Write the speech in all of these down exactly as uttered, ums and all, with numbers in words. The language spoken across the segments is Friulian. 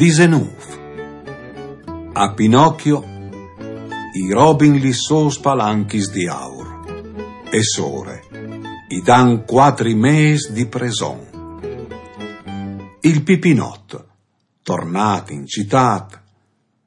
Disenûf. A Pinocchio i robin lis sôs palanchis di aur. E sore i dan cuatri mês di preson. Il Pipinot, tornât in citât,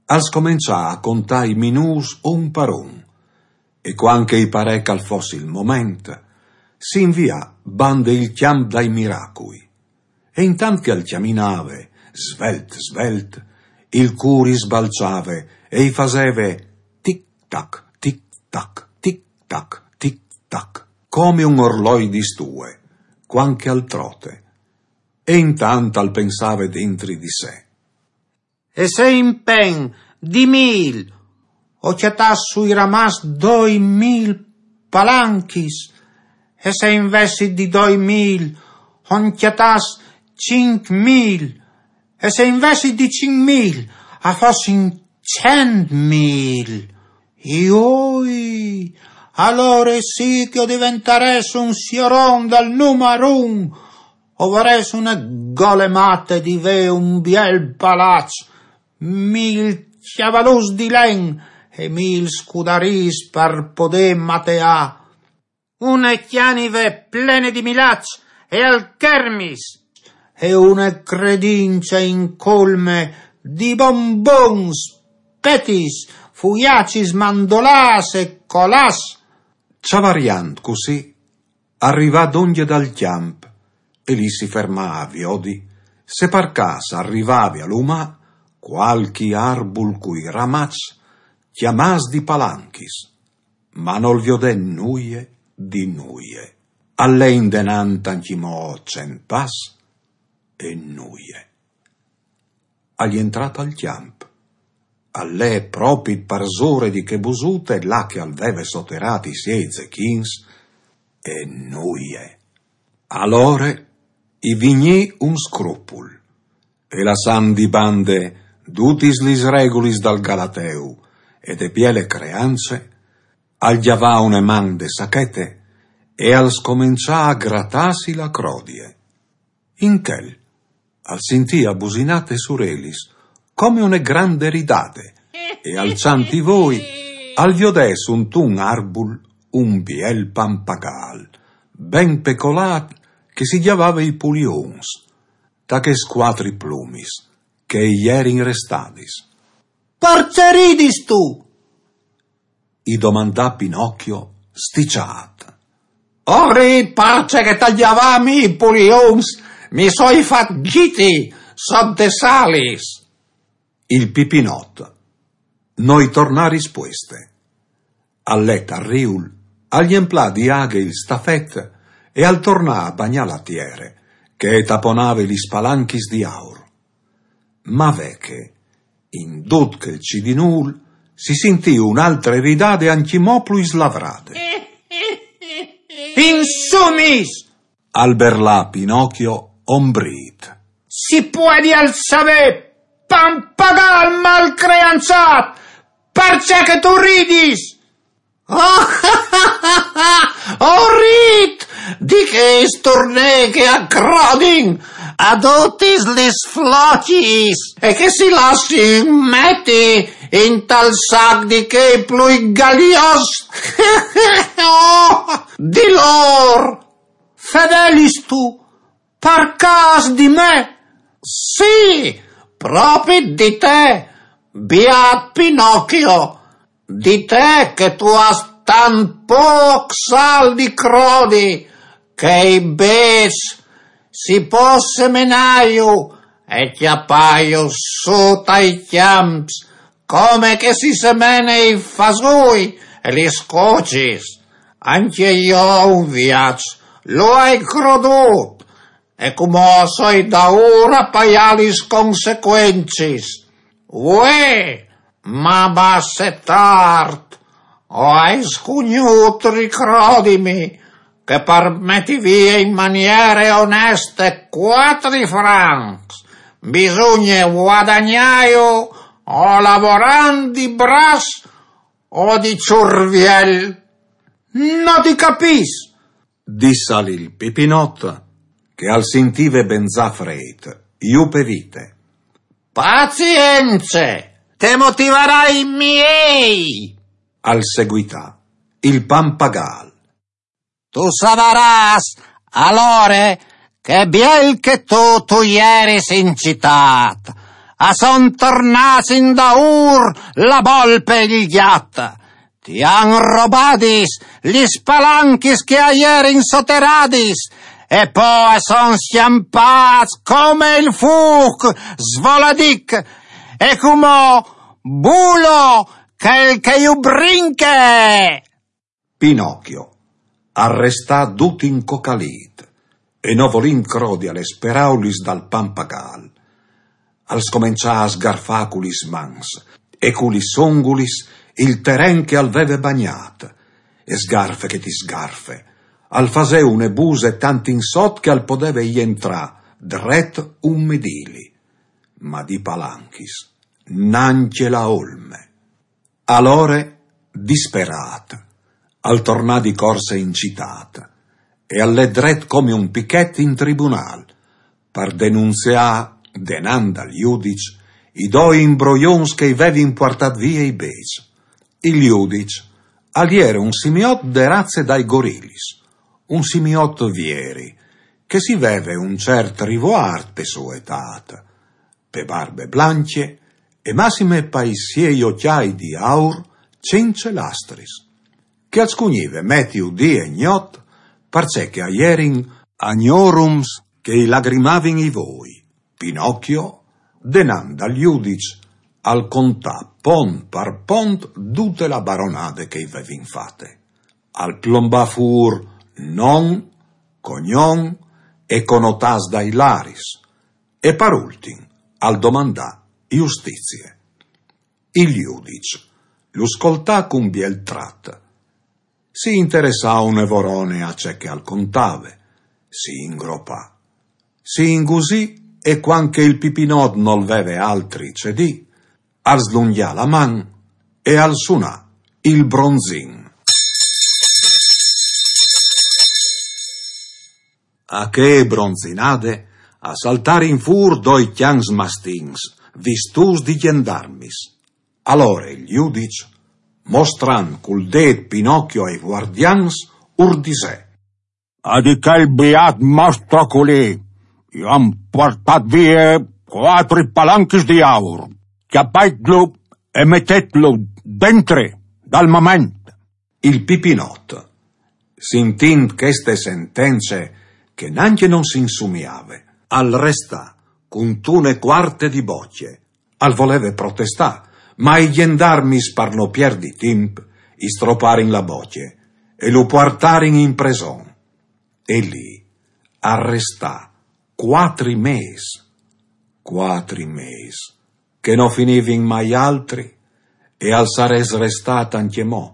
al scomençà a contâ i minûts un par un, e cuant che i parè che al fos il moment, si invià bande il cjamp dai miracui. E intant che al cjaminave, svelt, svelt, il cûr i sbalçave e i faseve tic tac, tic tac, tic tac, tic tac, come un orloi di stue, cuant che al trote. E intant al pensave dentri di se: E se impen di mîl o cjatàs sui ramaçs doi mîl palanchis, e se invezit di doi mîl o 'nt cjatàs cinc mîl, e se invezit di cinc mîl a fossin cent mîl, joi, alore sì che o diventarès un sioron dal numar un, o varès une gole mate di vê un biel palaç, mîl cjavaluts di len e mîl scudarîs par podê mateâ, une cjanive plene di milaç e alchermis, e une credince incolme di bonbons, petis, fuiacis mandolâts e colâts. Çavariant cussì, al rivà dongje dal cjamp, e li si fermà a viodi se par câs al rivave a lumâ cualchi arbul cui ramaçs cjamâts di palanchis, ma nol viodè nuie di nuie. Al lè indenant ancjemò cent pas, e nuie. Al jentrà tal cjamp. Al lè propit parsore di chê busute là che al veve soterât i siei zechins, e nuie. Alore i vignì un scrupul, e lassant di bande dutis lis regulis dal galateu e de biele creance, al gjavà une man de sachete e al scomençà a gratâsi la crodie. In chel al sintì abusinâ tes urelis come une grande ridade, e alçant i voi al viodè suntun arbul un biel pampagâl, ben pecolât, che si gjavave i pulions, ta chês cuatri plumis che i jerin restadis. Parcè ridistu? I domandà Pinocchio, stiçât. O rît parcè che tal gjavâ mi i pulions mi soi fat gjiti sot des alis. Il Pipinot no i tornà rispueste. Al lè tal riul, al jemplà di aghe il stafet e al tornà a bagnâ la tiere, che e taponave lis palanchis di aur. Ma ve che, in dut chel cidinûl, si sintì une altre ridade ancjemò plui slavrade. Insumis! Al berlà Pinocchio ombrît. Si puedial savê, pampagâl malcreançât, parcè che tu ridis? O rît di chês turnês che a crodin a dutis lis flocis e che si lassin meti intal sac di chei plui galios di lôr. Fedelistu, par câs di me? Sì, propit di te, biât Pinocchio, di te che tu âs tant pôc sal di crodi, che i bêçs si pos semenâju e cjapâju sù tai cjamps, come che si semene i fasûi e lis cocis. Ancje jo un viaç lu ai crodût, e cumò o soi daûr a paiâ lis consecuencis. Vuê, ma basse tart, o ai scugnût ricrodimi che par meti vie in maniere oneste cuatri francs bisugne vuadagnâju o lavorant di braç o di çurviel. No ti capìs, dissal il Pipinot, che al sintive benzà frêt, jù pe vite. Pazience, te motivarai miei! Al seguità il pampagal. Tu savaràs, alore, che biel che tu, tu ieris in citât, a son tornâts indaûr la bolpe e il gjat. Ti àn robadis lis palanchis che a jerin soteradis, e po a son scjampâts come il fûc, svoladic, e cumò bulo chel che ju brinche! Pinocchio al restà dut incocalît e no volint crodi a lis peraulis dal pampagal, al scomençà a sgarfâ cu lis mans e cu lis ongulis il teren che al veve bagnât, e sgarfe che ti sgarfe, al fasè une buse tant in sot che al podeve jentrâ dret un midili, ma di palanchis nancje la olme. Alore, disperât, al tornà di corse in citât e al lè dret come un pichet in tribunâl, par denunziâ denant dal judiç i doi imbrojons che i vevin puartât vie i bêçs. Il judiç al jere un simiot de raze dai gorilis, un simiot vieri, che si veve un cert rivoart pe sô etât, pe barbe blancje e massime pai siei ocjâi di aur cence lastris, che al scugnive meti dì e gnot, parcè che a jerin agnorums che i lagrimavin i voi. Pinocchio, denant dal judiç, al contà pont par pont dute la baronade che i vevin fate. Al plombà fûr non, cognon e conotâts dai laris, e par ultin al domandà justizie. Il judiç lu scoltà cun biel trat. Si interessà une vorone a ce che al contave, si ingropà, si ingusì, e cuant che il pipinot nol veve altri ce dî, al slungjà la man e al sunà il bronzin. A chê bronzinade a saltarin fûr doi cjans mastins, vistûts di gjendarmis. Alore il judiç, mostrant cul dêt Pinocchio ai vuardians, ur disè: A di chel biât mostro culì, ju àn puartât vie cuatri palanchis di aur. Cjapaitlu e metêtlu dentri dal moment. Il pipinot, sintint cheste sentence che nancje no si insumiave, al restà cuntune cuarte di bocje. Al voleve protestâ, ma i gjendarmis, par no pierdi timp, i stroparin la bocje e lu puartarin in preson. E li al restà cuatri mês, cuatri mês, che no finivin mai altri, e al sarès restât ancjemò,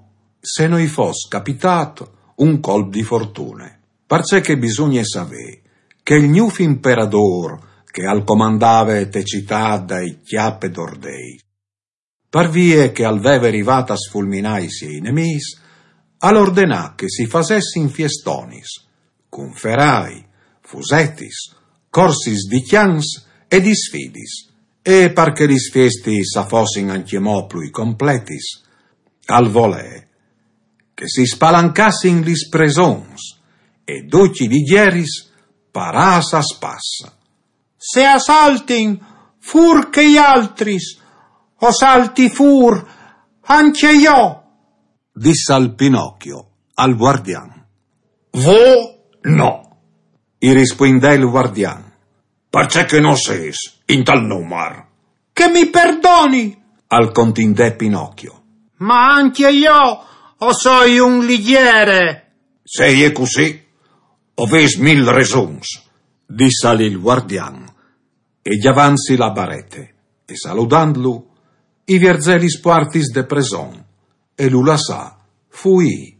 se no i fos capitât un colp di fortune. Parcè che bisugne savê che il gnûf imperadôr che al comandave te citât dai Cjape d'Ordei, par vie che al veve rivât a sfulminâ i siei nemîs, al ordenà che si fasessin fiestonis, cun ferai, fusetis, corsis di cjans e di sfidis, e par che lis fiestis a fossin ancjemò plui completis, al volè che si spalancassin lis presons e ducj i ligjeris parâs a spas. Se a saltin fûr chei altris, o salti fûr ancje jo, dissal Pinocchio al guardian. Vô no, i rispuindè il guardian, parcè che no sês intal numar. Che mi perdoni, al contindè Pinocchio. Ma ancje jo o soi un ligjere. Se e je cussì, o vês mil resons, dissal il guardian, e gjavantsi la barete e saludantlu, i vierzè lis puartis de preson e lu lassà fuî